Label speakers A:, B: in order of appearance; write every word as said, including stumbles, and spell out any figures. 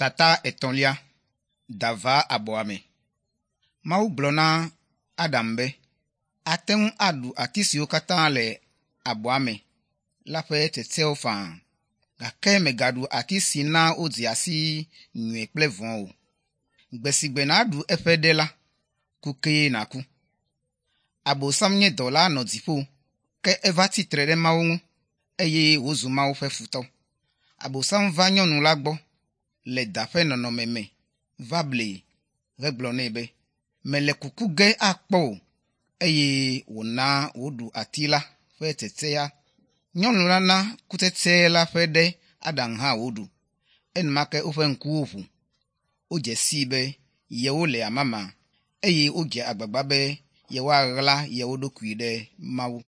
A: Tata etɔ̃lia da va abɔa me. Mawu gblɔ na Adam be, ate ŋu aɖu ati siwo katã le abɔa me la ƒe tsetsewo faa gake mègaɖu ati si na wodzea si nyui kple vɔ̃ o. Gbe si gbe nàɖu eƒe ɖe la, ku kee nàku. Abosam nye dɔla nɔ dziƒo ke eva tsi tre ɖe Mawu ŋu eye wòzu Mawu ƒe futɔ. Abosam va nyɔnu la gbɔ le da ƒe nɔnɔme me va blee hegblɔ nɛ be, mele kuku ge akpɔ o eye wòna wòɖu ati la ƒe tsetsea. Nyɔnu la na kutsetse la ƒe ɖe Adam hã wòɖu. Enumake woƒe ŋkuwo ʋu. Wodze sii be yewole amama eye wodze agbagba be yewoaɣla yewo ɖokui ɖe Mawu.